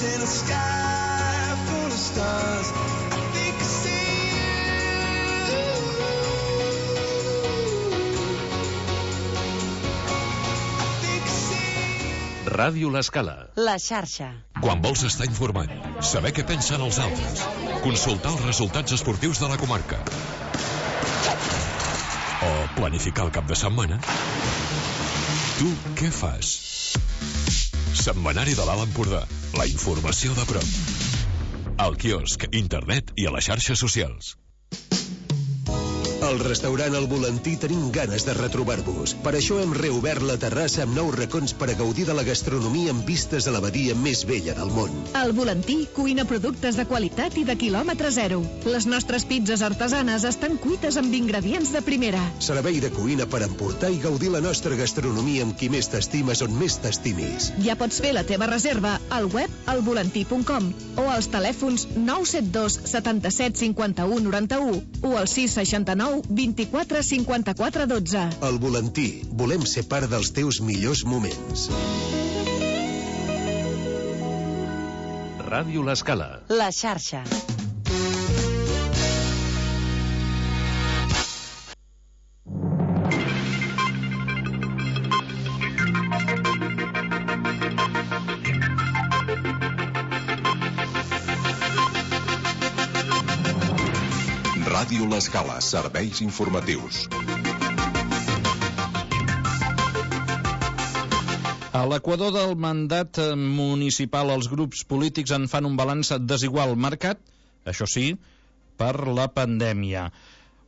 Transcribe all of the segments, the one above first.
in a sky full of stars. I think I see you. I think I see. Ràdio L'Escala. La xarxa. Quan vols estar informat, saber què pensen els altres, consultar els resultats esportius de la comarca o planificar el cap de setmana, tu què fas? Setmanari de l'Alt Empordà. La informació de prop. Al quiosc, internet i a les xarxes socials. Al restaurant El Volantí tenim ganes de retrobar-vos. Per això hem reobert la terrassa amb nous racons per a gaudir de la gastronomia amb vistes a la badia més vella del món. El Volantí cuina productes de qualitat i de quilòmetre zero. Les nostres pizzas artesanes estan cuites amb ingredients de primera. Servei de cuina per emportar i gaudir la nostra gastronomia amb qui més t'estimes on més t'estimis. Ja pots fer la teva reserva al web alvolantí.com o als telèfons 972 77 51 91 o al 669 24 54 12. El Volantí. Volem ser part dels teus millors moments. Ràdio L'Escala. La xarxa. Ràdio L'Escala, serveis informatius. A l'equador del mandat municipal, els grups polítics en fan un balanç desigual, marcat, això sí, per la pandèmia.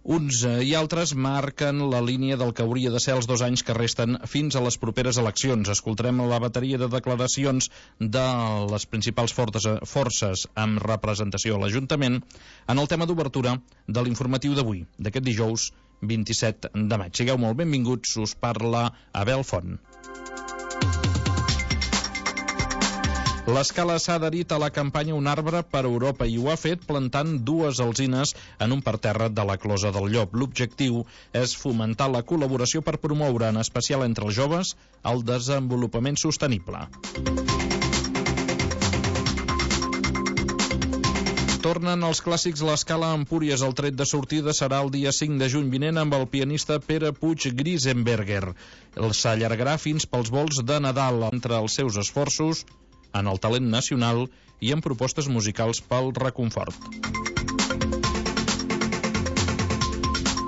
Uns i altres marquen la línia del que hauria de ser els 2 anys que resten fins a les properes eleccions. Escoltarem la bateria de declaracions de les principals forces amb representació a l'Ajuntament en el tema d'obertura de l'informatiu d'avui, d'aquest dijous 27 de maig. Sigueu molt benvinguts, us parla Abel Font. L'Escala s'ha adherit a la campanya Un arbre per Europa i ho ha fet plantant 2 alzines en un parterre de la Closa del Llop. L'objectiu és fomentar la col·laboració per promoure, en especial entre els joves, el desenvolupament sostenible. Tornen els clàssics l'Escala a Empúries. El tret de sortida serà el dia 5 de juny vinent amb el pianista Pere Puig Grisenberger. S'allargarà fins pels vols de Nadal entre els seus esforços en el talent nacional i en propostes musicals pel reconfort.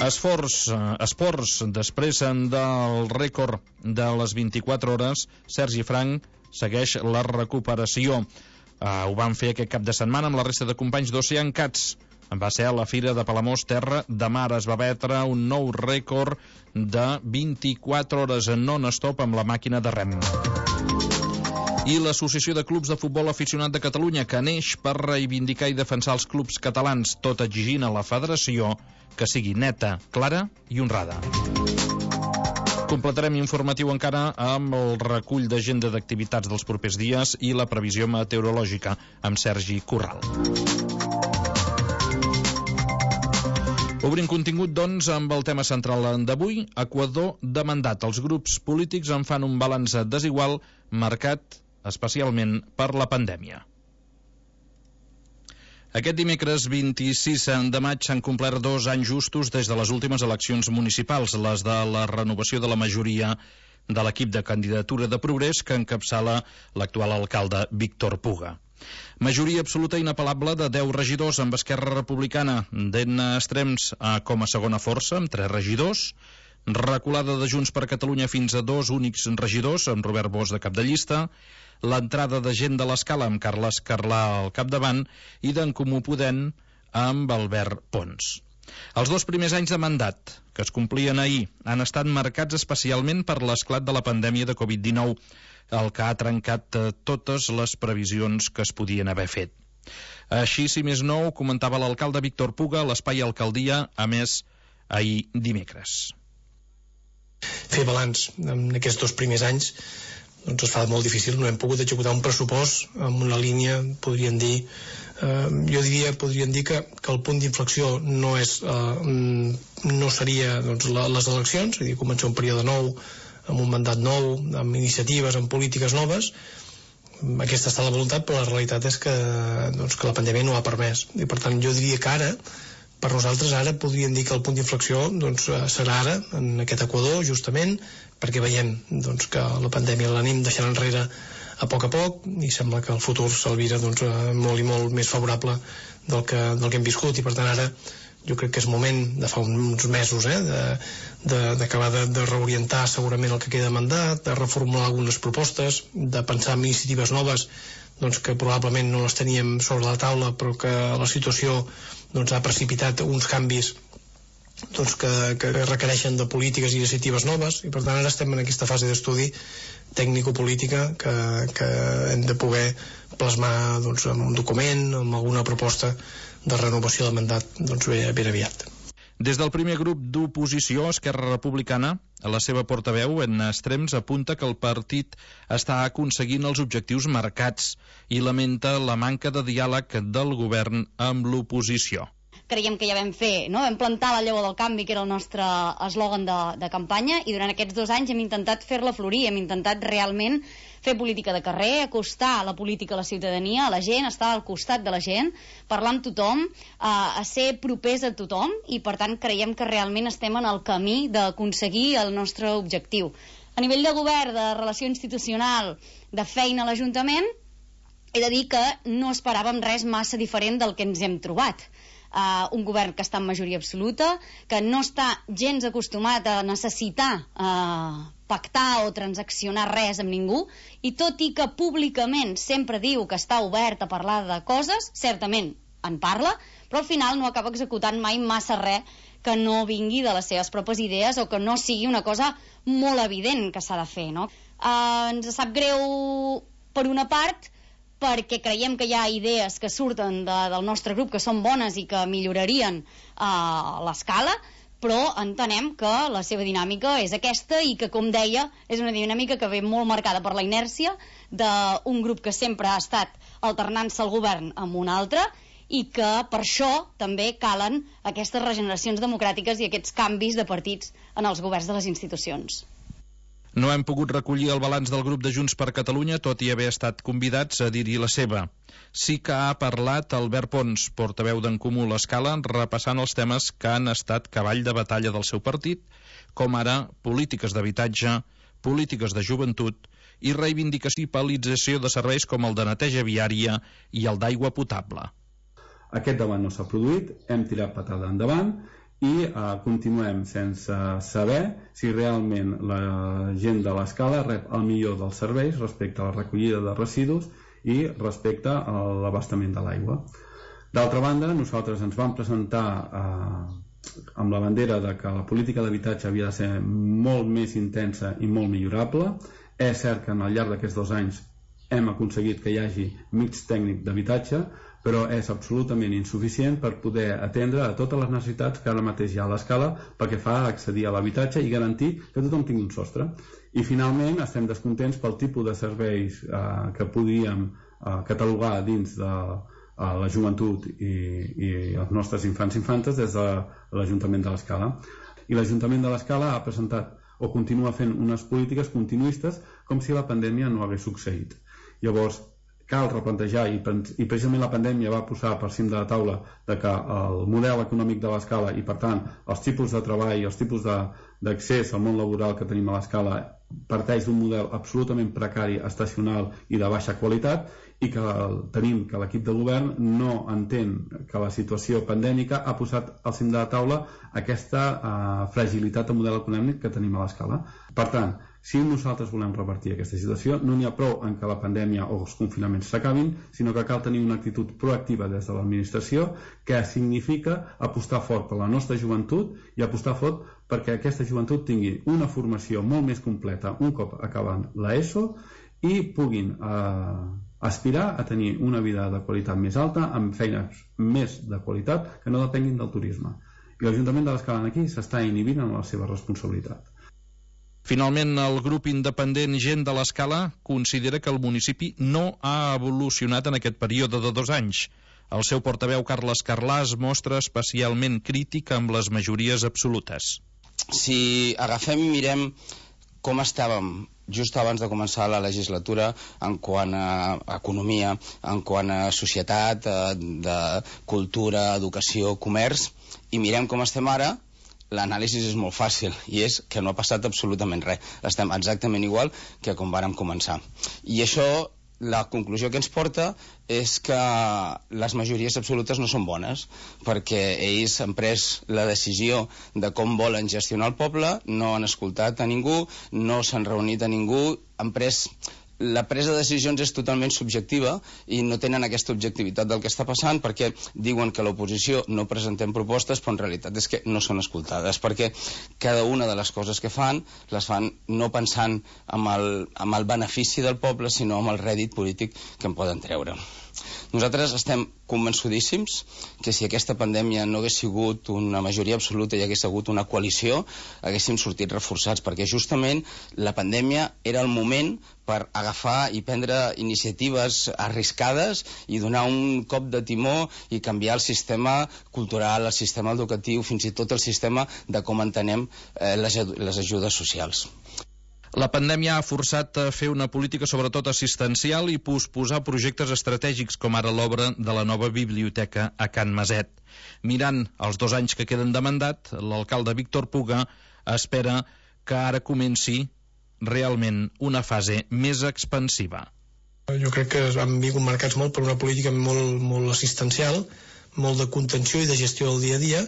Esports, després del rècord de les 24 hores, Sergi Frank segueix la recuperació. Ho van fer aquest cap de setmana amb la resta de companys d'Ocean Cats. Va ser a la Fira de Palamós, Terra de Mar. Es va batre un nou rècord de 24 hores non-stop amb la màquina de rem. I l'Associació de Clubs de Futbol Aficionat de Catalunya, que neix per reivindicar i defensar els clubs catalans, tot exigint a la federació que sigui neta, clara i honrada. Completarem informatiu encara amb el recull d'agenda d'activitats dels propers dies i la previsió meteorològica amb Sergi Corral. Obrim contingut, doncs, amb el tema central d'avui, Equador de mandat. Els grups polítics en fan un balanç desigual marcat especialment per la pandèmia. Aquest dimecres 26 de maig s'han complert 2 anys justos des de les últimes eleccions municipals, les de la renovació de la majoria de l'equip de candidatura de Progrés que encapçala l'actual alcalde Víctor Puga. Majoria absoluta inapel·lable de 10 regidors, amb Esquerra Republicana d'en extrems com a segona força, amb 3 regidors, reculada de Junts per Catalunya fins a 2 únics regidors, amb Robert Bosch de cap de llista, l'entrada de Gent de l'Escala amb Carles Carlà al capdavant i d'en Comú Podem amb Albert Pons. Els 2 primers anys de mandat, que es complien ahir, han estat marcats especialment per l'esclat de la pandèmia de Covid-19, el que ha trencat totes les previsions que es podien haver fet. Així, si més no, ho comentava l'alcalde Víctor Puga a l'Espai Alcaldia, a més, ahir dimecres. Fer balanç en aquests 2 primers anys doncs es fa molt difícil. No hem pogut executar un pressupost amb una línia, podríem dir que el punt d'inflexió no seria doncs, les eleccions, és a dir, començar un període nou, amb un mandat nou, amb iniciatives, amb polítiques noves. aquesta ha estat la voluntat, però la realitat és que la pandèmia no ho ha permès, i per tant jo diria que ara, per nosaltres ara podríem dir que el punt d'inflexió serà ara, en aquest Equador, justament, perquè veiem que la pandèmia l'anem deixant enrere a poc, i sembla que el futur s'alvira molt i molt més favorable del que hem viscut, i per tant ara jo crec que és moment, de fa uns mesos, d'acabar de reorientar segurament el que queda de mandat, de reformular algunes propostes, de pensar en iniciatives noves que probablement no les teníem sobre la taula, però que la situació ha precipitat uns canvis que requereixen de polítiques i iniciatives noves, i per tant ara estem en aquesta fase d'estudi tècnico-política que hem de poder plasmar en un document, amb alguna proposta de renovació del mandat ben aviat. Des del primer grup d'oposició, Esquerra Republicana, a la seva portaveu, en extrems, apunta que el partit està aconseguint els objectius marcats i lamenta la manca de diàleg del govern amb l'oposició. Creiem que ja vam fer, vam plantar la llavor del canvi, que era el nostre eslògan de campanya, i durant aquests 2 anys hem intentat fer-la florir, hem intentat realment fer política de carrer, acostar la política a la ciutadania, a la gent, estar al costat de la gent, parlar amb tothom, a ser propers a tothom, i per tant creiem que realment estem en el camí d'aconseguir el nostre objectiu. A nivell de govern, de relació institucional, de feina a l'Ajuntament, he de dir que no esperàvem res massa diferent del que ens hem trobat. Un govern que està en majoria absoluta, que no està gens acostumat a necessitar pactar o transaccionar res amb ningú, i tot i que públicament sempre diu que està obert a parlar de coses, certament en parla, però al final no acaba executant mai massa res que no vingui de les seves pròpies idees o que no sigui una cosa molt evident que s'ha de fer, no? Ens sap greu per una part, perquè creiem que hi ha idees que surten del nostre grup que són bones i que millorarien l'escala, però entenem que la seva dinàmica és aquesta i que, com deia, és una dinàmica que ve molt marcada per la inèrcia d'un grup que sempre ha estat alternant-se al govern amb un altre, i que per això també calen aquestes regeneracions democràtiques i aquests canvis de partits en els governs de les institucions. No hem pogut recollir el balanç del grup de Junts per Catalunya, tot i haver estat convidats a dir-hi la seva. Sí que ha parlat Albert Pons, portaveu d'en Comú l'Escala, repassant els temes que han estat cavall de batalla del seu partit, com ara polítiques d'habitatge, polítiques de joventut i reivindicació i paralització de serveis com el de neteja viària i el d'aigua potable. Aquest debat no s'ha produït, hem tirat patada endavant i continuem sense saber si realment la gent de l'Escala rep el millor dels serveis respecte a la recollida de residus i respecte a l'abastament de l'aigua. D'altra banda, nosaltres ens vam presentar amb la bandera de que la política d'habitatge havia de ser molt més intensa i molt millorable. És cert que al llarg d'aquests 2 anys hem aconseguit que hi hagi mix tècnic d'habitatge, però és absolutament insuficient per poder atendre a totes les necessitats que ara mateix hi ha a l'Escala pel que fa a accedir a l'habitatge i garantir que tothom tingui un sostre. I finalment estem descontents pel tipus de serveis que podíem catalogar dins de la joventut i els nostres infants i infantes des de l'Ajuntament de l'Escala. I l'Ajuntament de l'Escala ha presentat o continua fent unes polítiques continuistes com si la pandèmia no hagués succeït. Llavors, cal replantejar, i precisament la pandèmia va posar per cim de la taula de que el model econòmic de l'Escala i per tant els tipus de treball, els tipus d'accés al món laboral que tenim a l'Escala parteix d'un model absolutament precari, estacional i de baixa qualitat, i que tenim que l'equip de govern no entén que la situació pandèmica ha posat al cim de la taula aquesta fragilitat del model econòmic que tenim a l'Escala. Per tant, si nosaltres volem revertir aquesta situació, no n'hi ha prou en que la pandèmia o els confinaments s'acabin, sinó que cal tenir una actitud proactiva des de l'administració que significa apostar fort per la nostra joventut i apostar fort perquè aquesta joventut tingui una formació molt més completa un cop acabant l'ESO i puguin aspirar a tenir una vida de qualitat més alta amb feines més de qualitat que no depenguin del turisme. I l'Ajuntament de l'Escala aquí s'està inhibint en la seva responsabilitat. Finalment, el grup independent Gent de l'Escala considera que el municipi no ha evolucionat en aquest període de 2 anys. El seu portaveu, Carles Carlà, es mostra especialment crític amb les majories absolutes. Si agafem i mirem com estàvem just abans de començar la legislatura en quant a economia, en quant a societat, de cultura, educació, comerç, i mirem com estem ara, l'anàlisi és molt fàcil, i és que no ha passat absolutament res. Estem exactament igual que quan vàrem començar. I això, la conclusió que ens porta és que les majories absolutes no són bones, perquè ells han pres la decisió de com volen gestionar el poble, no han escoltat a ningú, no s'han reunit a ningú, han pres... La presa de decisions és totalment subjectiva i no tenen aquesta objectivitat del que està passant, perquè diuen que l'oposició no presentem propostes, però en realitat és que no són escoltades, perquè cada una de les coses que fan les fan no pensant en el benefici del poble, sinó en el rèdit polític que en poden treure. Nosaltres estem convençudíssims que si aquesta pandèmia no hagués sigut una majoria absoluta i hagués hagut una coalició, haguéssim sortit reforçats, perquè justament la pandèmia era el moment per agafar i prendre iniciatives arriscades i donar un cop de timó i canviar el sistema cultural, el sistema educatiu, fins i tot el sistema de com entenem les ajudes socials. La pandèmia ha forçat a fer una política sobretot assistencial i posposar projectes estratègics com ara l'obra de la nova biblioteca a Can Maset. Mirant els 2 anys que queden de mandat, l'alcalde Víctor Puga espera que ara comenci realment una fase més expansiva. Jo crec que han vingut marcats molt per una política molt assistencial, molt de contenció i de gestió del dia a dia,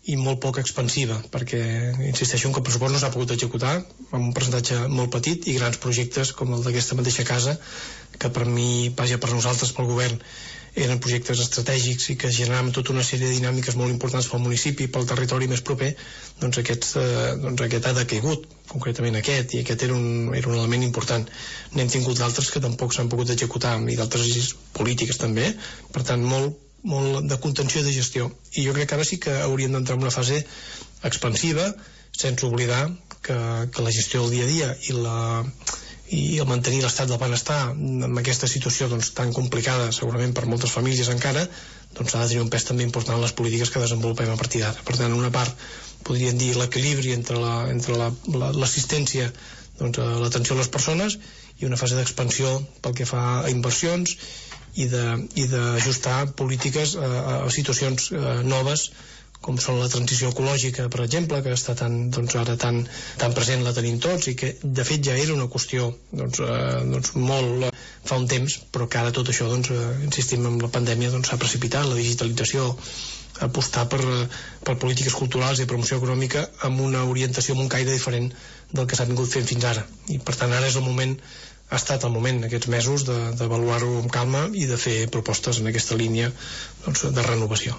i molt poc expansiva, perquè insisteixo que el pressupost no s'ha pogut executar amb un percentatge molt petit i grans projectes com el d'aquesta mateixa casa, que per mi, vaja, per nosaltres, pel govern, eren projectes estratègics i que generaven tota una sèrie de dinàmiques molt importants pel municipi, pel territori més proper, doncs aquest ha decaigut, concretament aquest, i aquest era un element important. N'hem tingut d'altres que tampoc s'han pogut executar, i d'altres polítiques també, per tant molt de contenció i de gestió. I jo crec que ara sí que hauríem d'entrar en una fase expansiva, sense oblidar que la gestió del dia a dia i el mantenir l'estat del benestar en aquesta situació tan complicada, segurament per moltes famílies encara, doncs ha de tenir un pes també important en les polítiques que desenvolupem a partir d'ara. Per tant, una part, podríem dir, l'equilibri entre l'assistència a l'atenció a les persones i una fase d'expansió pel que fa a inversions i d'ajustar polítiques a situacions noves, com són la transició ecològica, per exemple, que està ara tan present, la tenim tots, i que de fet ja era una qüestió molt fa un temps, però que ara tot això, insistim, amb la pandèmia s'ha precipitat, la digitalització, apostar per polítiques culturals i promoció econòmica amb una orientació, amb un caire diferent del que s'ha vingut fent fins ara. I per tant ara és el moment, ha estat el moment aquests mesos d'avaluar-ho amb calma i de fer propostes en aquesta línia de renovació.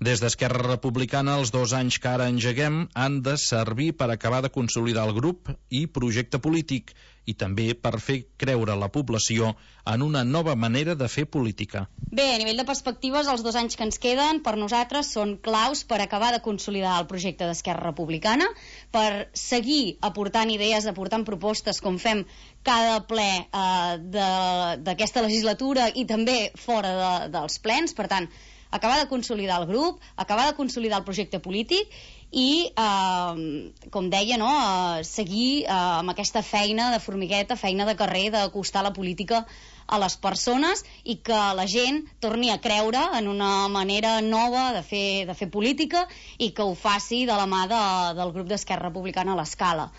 Des d'Esquerra Republicana, els 2 anys que ara engeguem han de servir per acabar de consolidar el grup i projecte polític i també per fer creure la població en una nova manera de fer política. Bé, a nivell de perspectives, els 2 anys que ens queden per nosaltres són claus per acabar de consolidar el projecte d'Esquerra Republicana, per seguir aportant idees, aportant propostes, com fem cada ple d'aquesta legislatura i també fora dels plens. Per tant, acabar de consolidar el grup, acabar de consolidar el projecte polític i, com deia, seguir amb aquesta feina de formigueta, feina de carrer, d'acostar la política a les persones i que la gent torni a creure en una manera nova de fer política i que ho faci de la mà del grup d'Esquerra Republicana a l'Escala.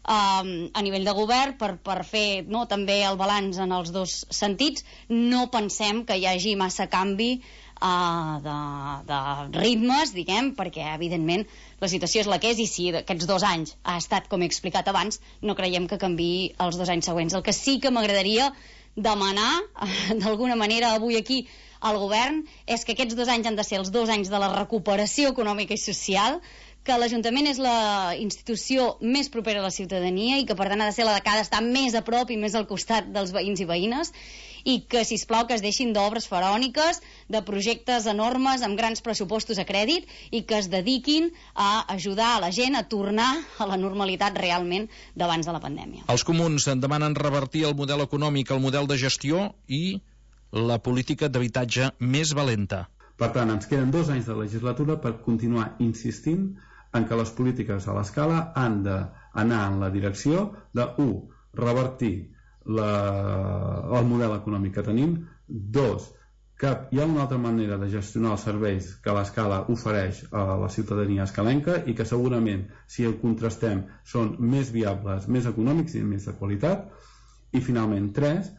A nivell de govern, per fer també el balanç en els 2 sentits, no pensem que hi hagi massa canvi de ritmes, diguem, perquè evidentment la situació és la que és, i si aquests 2 anys ha estat, com he explicat abans, no creiem que canviï els 2 anys següents. El que sí que m'agradaria demanar d'alguna manera avui aquí al govern és que aquests 2 anys han de ser els 2 anys de la recuperació econòmica i social, que l'Ajuntament és la institució més propera a la ciutadania i que per tant ha de ser la que ha d'estar més a prop i més al costat dels veïns i veïnes, i que, sisplau, que es deixin d'obres faraòniques, de projectes enormes amb grans pressupostos a crèdit i que es dediquin a ajudar a la gent a tornar a la normalitat realment d'abans de la pandèmia. Els comuns demanen revertir el model econòmic, el model de gestió i la política d'habitatge més valenta. Per tant, ens queden 2 anys de legislatura per continuar insistint en que les polítiques a l'Escala han d'anar en la direcció de, 1, revertir el model econòmic que tenim. 2, que hi ha una altra manera de gestionar els serveis que l'Escala ofereix a la ciutadania escalenca i que segurament, si el contrastem, són més viables, més econòmics i més de qualitat. I finalment, 3,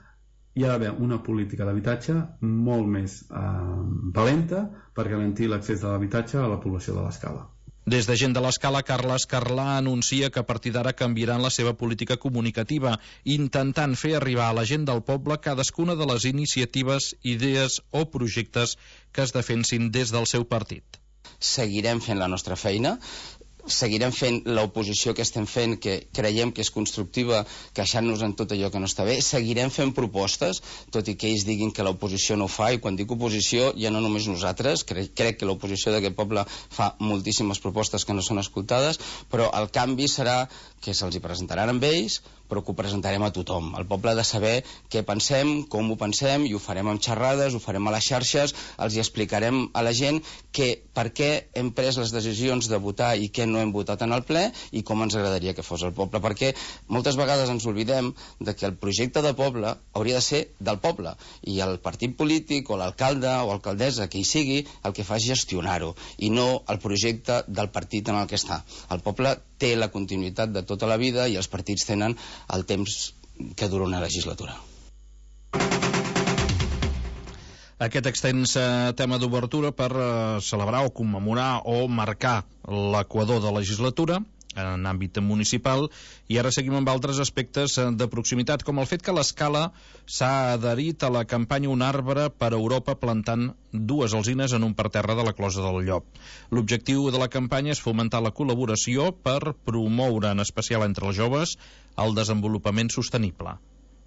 hi ha d'haver una política d'habitatge molt més valenta per garantir l'accés a l'habitatge a la població de l'Escala. Des de Gent de l'Escala, Carles Carlà anuncia que a partir d'ara canviaran la seva política comunicativa, intentant fer arribar a la gent del poble cadascuna de les iniciatives, idees o projectes que es defensin des del seu partit. Seguirem fent la nostra feina, seguirem fent l'oposició que estem fent, que creiem que és constructiva, queixant-nos en tot allò que no està bé. Seguirem fent propostes, tot i que ells diguin que l'oposició no ho fa, i quan dic oposició ja no només nosaltres, crec que l'oposició d'aquest poble fa moltíssimes propostes que no són escoltades, però el canvi serà que se'ls hi presentaran amb ells, però que ho presentarem a tothom. El poble ha de saber què pensem, com ho pensem, i ho farem amb xerrades, ho farem a les xarxes, els hi explicarem a la gent per què hem pres les decisions de votar i què no hem votat en el ple i com ens agradaria que fos el poble, perquè moltes vegades ens oblidem de que el projecte de poble hauria de ser del poble, i el partit polític o l'alcalde o alcaldessa que hi sigui el que fa és gestionar-ho, i no el projecte del partit en el que està. El poble té la continuïtat de tota la vida i els partits tenen el temps que dura una legislatura. Aquest extens tema d'obertura per celebrar o commemorar o marcar l'equador de legislatura en àmbit municipal, i ara seguim amb altres aspectes de proximitat, com el fet que l'Escala s'ha adherit a la campanya Un arbre per Europa plantant 2 alzines en un parterre de la Closa del Llop. L'objectiu de la campanya és fomentar la col·laboració per promoure, en especial entre els joves, el desenvolupament sostenible.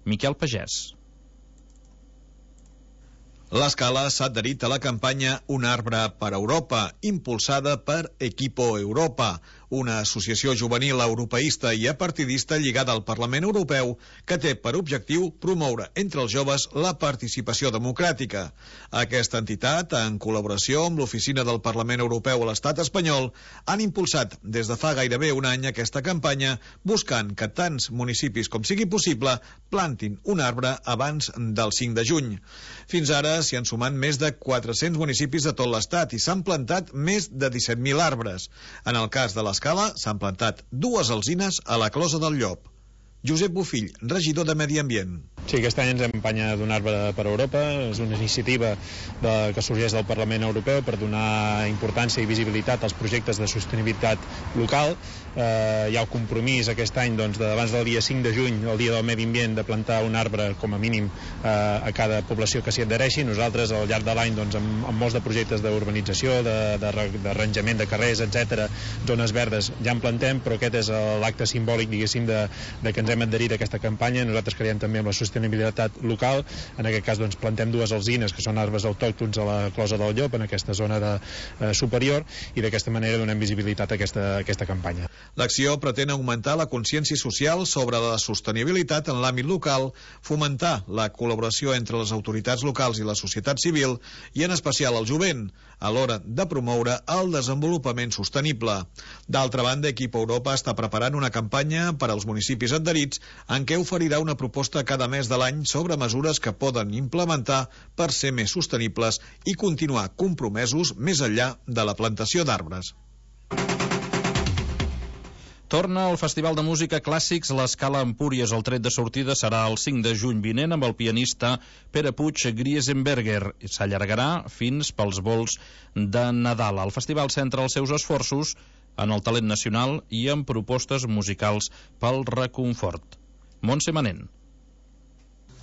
Miquel Pagès. L'Escala s'ha adherit a la campanya Un arbre per Europa, impulsada per Equipo Europa, una associació juvenil europeista i apartidista lligada al Parlament Europeu que té per objectiu promoure entre els joves la participació democràtica. Aquesta entitat, en col·laboració amb l'Oficina del Parlament Europeu a l'Estat espanyol, han impulsat des de fa gairebé un any aquesta campanya, buscant que tants municipis com sigui possible plantin un arbre abans del 5 de juny. Fins ara s'hi han sumat més de 400 municipis de tot l'Estat i s'han plantat més de 17.000 arbres. En el cas de l'Escala s'han plantat 2 alzines a la Closa del Llop. Josep Bofill, regidor de Medi Ambient. Sí, aquest any ens hem empenyat d'un arbre per Europa. És una iniciativa que sorgeix del Parlament Europeu per donar importància i visibilitat als projectes de sostenibilitat local. Hi ha el compromís aquest any abans del dia 5 de juny, el dia del Medi Ambient, de plantar un arbre com a mínim a cada població que s'hi adhereixi. Nosaltres al llarg de l'any amb molts de projectes d'urbanització, d'arranjament de carrers, etc., zones verdes, ja en plantem, però aquest és l'acte simbòlic, diguéssim, de que ens hem adherit a aquesta campanya. Nosaltres creiem també en la sostenibilitat local. En aquest cas plantem 2 alzines, que són arbres autòctons a la Closa del Llop, en aquesta zona superior, i d'aquesta manera donem visibilitat a aquesta campanya. L'acció pretén augmentar la consciència social sobre la sostenibilitat en l'àmbit local, fomentar la col·laboració entre les autoritats locals i la societat civil, i en especial el jovent, a l'hora de promoure el desenvolupament sostenible. D'altra banda, Equipo Europa està preparant una campanya per als municipis adherits en què oferirà una proposta cada mes de l'any sobre mesures que poden implementar per ser més sostenibles i continuar compromesos més enllà de la plantació d'arbres. Torna al Festival de Música Clàssics l'Escala Empúries. El tret de sortida serà el 5 de juny vinent amb el pianista Pere Puig Griesenberger. S'allargarà fins pels vols de Nadal. El festival centra els seus esforços en el talent nacional i en propostes musicals pel reconfort. Montse Manent.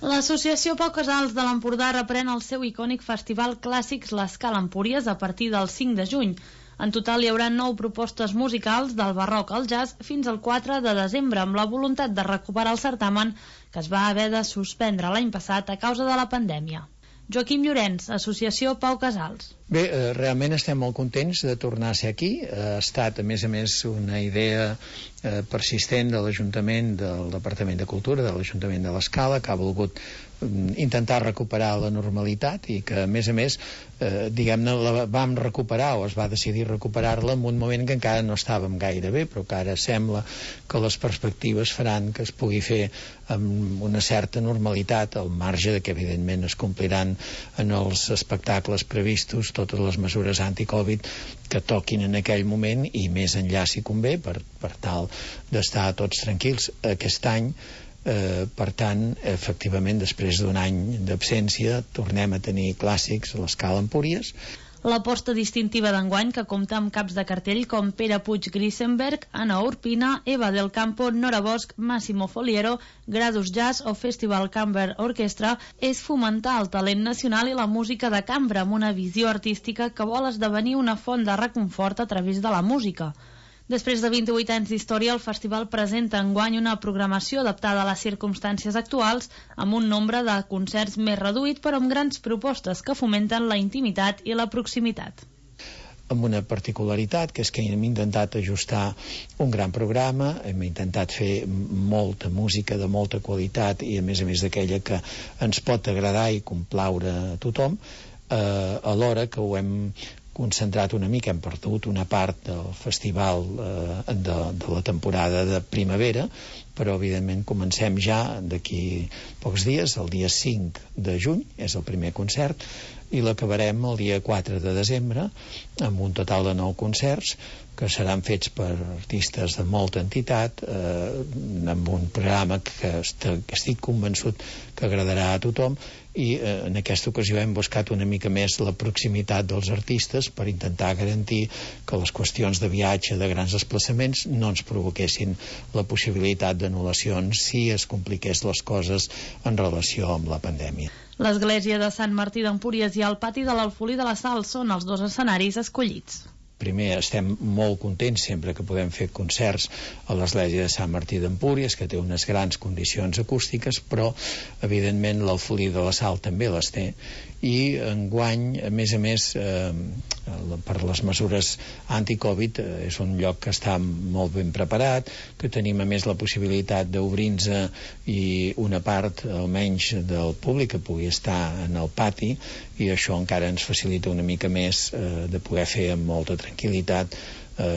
L'associació Pau Casals de l'Empordà reprèn el seu icònic festival Clàssics l'Escala Empúries a partir del 5 de juny. En total hi haurà 9 propostes musicals del barroc al jazz fins al 4 de desembre, amb la voluntat de recuperar el certamen que es va haver de suspendre l'any passat a causa de la pandèmia. Joaquim Llorenç, Associació Pau Casals. Bé, realment estem molt contents de tornar a ser aquí. Ha estat, a més, una idea persistent de l'Ajuntament, del Departament de Cultura, de l'Ajuntament de l'Escala, que ha volgut intentar recuperar la normalitat i que, a més, diguem-ne, la vam recuperar o es va decidir recuperar-la en un moment que encara no estàvem gaire bé, però que ara sembla que les perspectives faran que es pugui fer amb una certa normalitat, al marge de que, evidentment, es compliran en els espectacles previstos totes les mesures anti-Covid que toquin en aquell moment i més enllà si convé, per tal d'estar tots tranquils aquest any. Per tant, efectivament, després d'un any d'absència tornem a tenir clàssics a l'Escala Empúries. L'aposta distintiva d'enguany, que compta amb caps de cartell com Pere Puig Grisenberg, Anna Urpina, Eva del Campo, Nora Bosch, Massimo Foliero, Gradus Jazz o Festival Camber Orchestra, és fomentar el talent nacional i la música de cambra amb una visió artística que vol esdevenir una font de reconfort a través de la música. Després de 28 anys d'història, el festival presenta enguany una programació adaptada a les circumstàncies actuals, amb un nombre de concerts més reduït, però amb grans propostes que fomenten la intimitat i la proximitat. Amb una particularitat, que és que hem intentat ajustar un gran programa, hem intentat fer molta música de molta qualitat i, a més d'aquella que ens pot agradar i complaure a tothom, alhora que ho hem concentrat una mica, hem perdut una part del festival de la temporada de primavera, però evidentment comencem ja d'aquí pocs dies, el dia 5 de juny és el primer concert, i l'acabarem el dia 4 de desembre amb un total de 9 concerts que seran fets per artistes de molta entitat, amb un programa que estic convençut que agradarà a tothom, i en aquesta ocasió hem buscat una mica més la proximitat dels artistes per intentar garantir que les qüestions de viatge, de grans desplaçaments, no ens provoquessin la possibilitat d'anul·lacions si es compliqués les coses en relació amb la pandèmia. L'església de Sant Martí d'Empúries i el pati de l'Alfolí de la Sal són els dos escenaris escollits. Primer, estem molt contents sempre que podem fer concerts a l'església de Sant Martí d'Empúries, que té unes grans condicions acústiques, però, evidentment, l'Alfolí de la Sal també les té. I enguany, a més, per les mesures anti-Covid, és un lloc que està molt ben preparat, que tenim, a més, la possibilitat d'obrir-nos i una part, almenys, del públic que pugui estar en el pati, i això encara ens facilita una mica més de poder fer amb molta tranquil·litat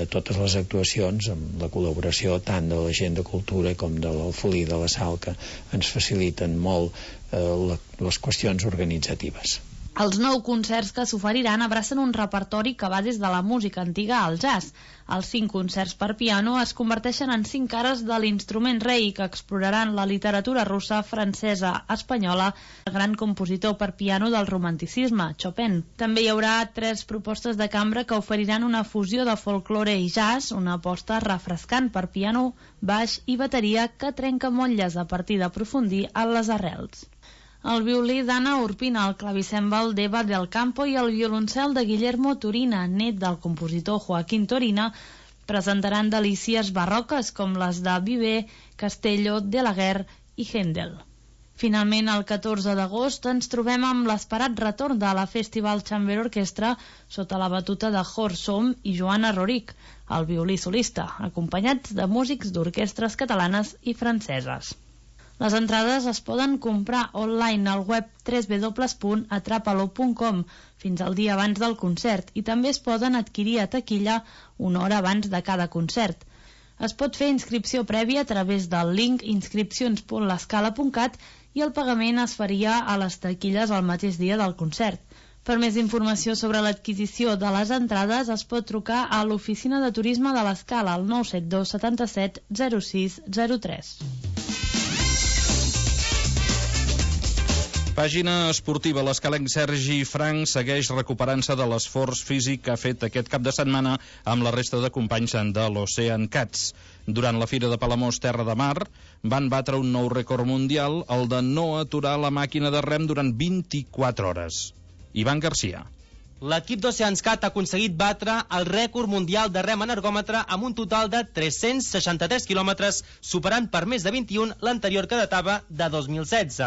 totes les actuacions amb la col·laboració tant de la gent de cultura com de l'Alfolí de la Sal, que ens faciliten molt les qüestions organitzatives. Els 9 concerts que s'oferiran abracen un repertori que va des de la música antiga al jazz. Els 5 concerts per piano es converteixen en 5 cares de l'instrument rei que exploraran la literatura russa, francesa, espanyola, el gran compositor per piano del romanticisme, Chopin. També hi haurà 3 propostes de cambra que oferiran una fusió de folklore i jazz, una aposta refrescant per piano, baix i bateria que trenca motlles a partir d'aprofundir en les arrels. El violí d'Anna Urpina, el clavicèmbal d'Eva del Campo i el violoncel de Guillermo Turina, net del compositor Joaquín Turina, presentaran delícies barroques com les de Viver, Castello, Delaguerre i Händel. Finalment, el 14 d'agost ens trobem amb l'esperat retorn de la Festival Chamber Orchestra sota la batuta de Horst Sohm i Joana Roric, el violí solista, acompanyats de músics d'orquestres catalanes i franceses. Les entrades es poden comprar online al web www.atrapalo.com fins al dia abans del concert i també es poden adquirir a taquilla una hora abans de cada concert. Es pot fer inscripció prèvia a través del link inscripcions.lescala.cat i el pagament es faria a les taquilles el mateix dia del concert. Per més informació sobre l'adquisició de les entrades es pot trucar a l'oficina de turisme de l'Escala al 972 77 06 03. Pàgina esportiva. L'escalenc Sergi Frank segueix recuperant-se de l'esforç físic que ha fet aquest cap de setmana amb la resta de companys de l'Ocean Cats. Durant la Fira de Palamós Terra de Mar van batre un nou rècord mundial, el de no aturar la màquina de rem durant 24 hores. Ivan Garcia. L'equip d'Oceans Cat ha aconseguit batre el rècord mundial de rem en ergòmetre amb un total de 363 quilòmetres, superant per més de 21 l'anterior que datava de 2016.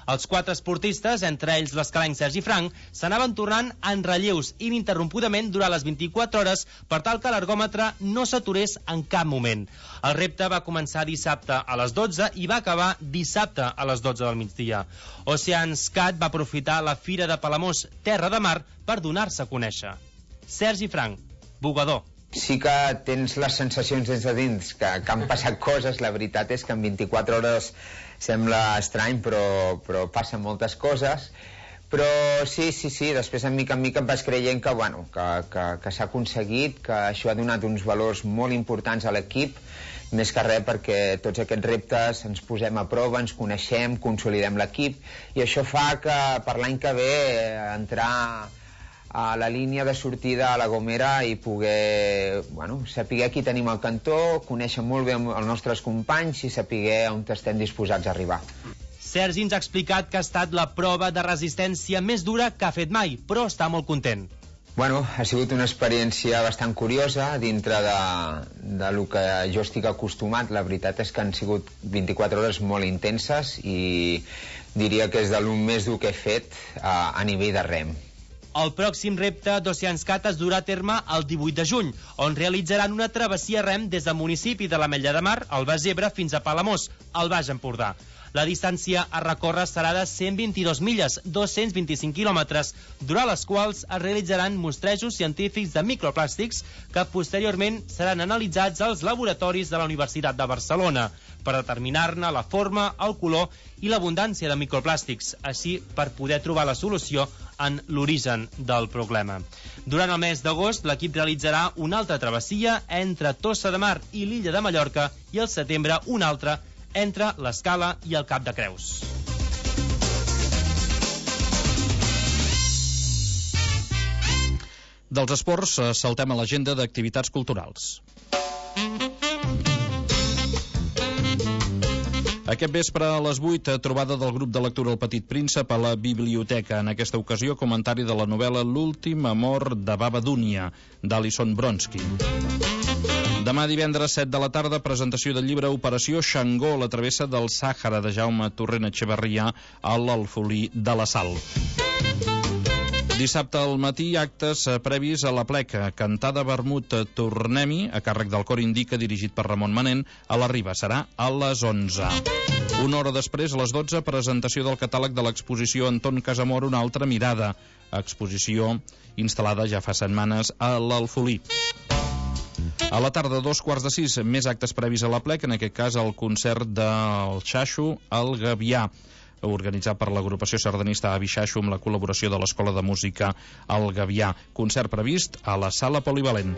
Els 4 esportistes, entre ells l'escalenc Sergi Frank, s'anaven tornant en relleus ininterrompudament durant les 24 hores per tal que l'ergòmetre no s'aturés en cap moment. El repte va començar dissabte a les 12 i va acabar dissabte a les 12 del migdia. Oceanscat va aprofitar la Fira de Palamós, Terra de Mar, per donar-se a conèixer. Sergi Frank, bugador. Sí que tens les sensacions des de dins, que han passat coses. La veritat és que en 24 hores sembla estrany, però passen moltes coses. Però sí, després en mica em vas creient que, bueno, que s'ha aconseguit, que això ha donat uns valors molt importants a l'equip, més que res perquè tots aquests reptes ens posem a prova, ens coneixem, consolidem l'equip, i això fa que per l'any que ve entrar a la línia de sortida a la Gomera i poder saber qui tenim al cantó, conèixer molt bé els nostres companys i saber on estem disposats a arribar. Sergi ens ha explicat que ha estat la prova de resistència més dura que ha fet mai, però està molt content. Bueno, ha sigut una experiència bastant curiosa dintre de lo que jo estic acostumat. La veritat és que han sigut 24 hores molt intenses i diria que és de lo més dur que he fet a nivell de rem. El pròxim repte d'Oceanscat es durà a terme el 18 de juny, on realitzaran una travessia rem des del municipi de l'Ametlla de Mar, al Baix Ebre, fins a Palamós, al Baix Empordà. La distància a recórrer serà de 122 milles, 225 quilòmetres, durant les quals es realitzaran mostrejos científics de microplàstics que posteriorment seran analitzats als laboratoris de la Universitat de Barcelona per determinar-ne la forma, el color i l'abundància de microplàstics, així per poder trobar la solució en l'origen del problema. Durant el mes d'agost, l'equip realitzarà una altra travessia entre Tossa de Mar i l'illa de Mallorca i al setembre una altra entre l'Escala i el Cap de Creus. Dels esports saltem a l'agenda d'activitats culturals. Aquest vespre a les 8, trobada del grup de lectura El Petit Príncep a la biblioteca. En aquesta ocasió, comentari de la novel·la L'últim amor de Baba Dúnia, d'Alison Bronsky. Demà divendres 7 de la tarda, presentació del llibre Operació Xangó, la travessa del Sàhara, de Jaume Torrent Echeverrià, a l'Alfolí de la Sal. Dissabte al matí, actes previs a la Pleca. Cantada Vermut Tornem-hi, a càrrec del Cor Indica, dirigit per Ramon Manent, a la Riba. Serà a les 11. Una hora després, a les 12, presentació del catàleg de l'exposició Anton Casamor, una altra mirada. Exposició instal·lada ja fa setmanes a l'Alfolí. A la tarda, 5:45, més actes previs a la Plec, en aquest cas el concert del Xaixo al Gavià, organitzat per l'agrupació sardanista Avi Xaixo amb la col·laboració de l'Escola de Música al Gavià. Concert previst a la Sala Polivalent.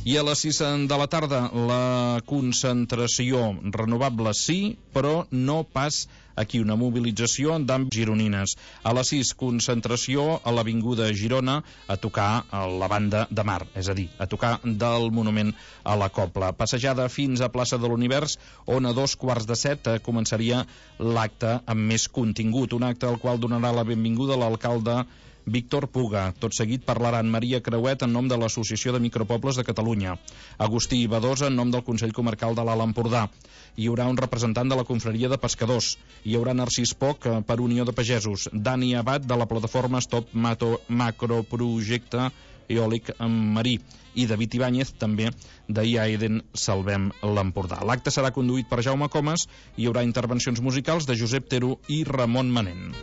I a les 6 de la tarda, la concentració renovable sí, però no pas aquí, una mobilització d'àmbits gironines. A les 6, concentració a l'Avinguda Girona a tocar a la banda de Mar, és a dir, a tocar del monument a la Cobla. Passejada fins a plaça de l'Univers, on a 6:45 començaria l'acte amb més contingut, un acte al qual donarà la benvinguda l'alcalde Víctor Puga. Tot seguit parlaran Maria Creuet en nom de l'Associació de Micropobles de Catalunya, Agustí Badosa en nom del Consell Comarcal de l'Alt Empordà. Hi haurà un representant de la Confraria de Pescadors. Hi haurà Narcís Poc per Unió de Pagesos, Dani Abad de la plataforma Stop Macroprojecte Eòlic Marí i David Ibáñez també d'IAEDEN Salvem l'Empordà. L'acte serà conduït per Jaume Comas i hi haurà intervencions musicals de Josep Tero i Ramon Manent.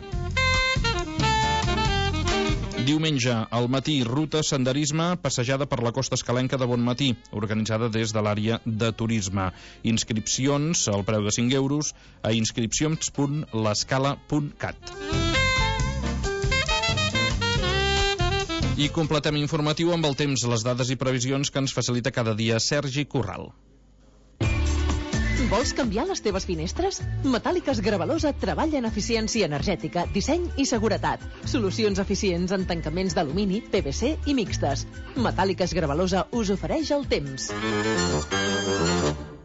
Diumenge, al matí, ruta senderisme passejada per la costa escalenca de Bonmatí, organitzada des de l'àrea de turisme. Inscripcions, al preu de 5 euros, a inscripcions.l'escala.cat. I completem informatiu amb el temps, les dades i previsions que ens facilita cada dia Sergi Corral. Vols canviar les teves finestres? Metàl·liques Gravalosa treballa en eficiència energètica, disseny i seguretat. Solucions eficients en tancaments d'alumini, PVC i mixtes. Metàl·liques Gravalosa us ofereix el temps.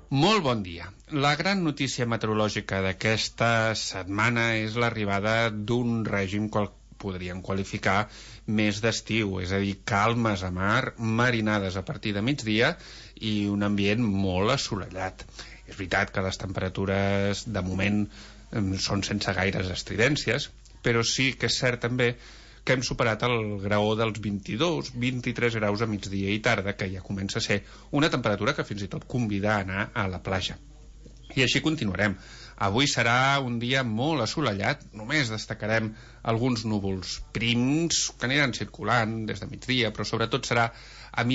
Molt bon dia. La gran notícia meteorològica d'aquesta setmana és l'arribada d'un règim que podríem qualificar més d'estiu, és a dir, calmes a mar, marinades a partir de migdia i un ambient molt assolellat. És veritat que les temperatures, de moment, són sense gaires estridències, però sí que és cert també que hem superat el graó dels 22-23 graus a migdia i tarda, que ja comença a ser una temperatura que fins i tot convida a anar a la platja. I així continuarem. Avui serà un dia molt assolellat, només destacarem alguns núvols prims que aniran circulant des de migdia, però sobretot serà a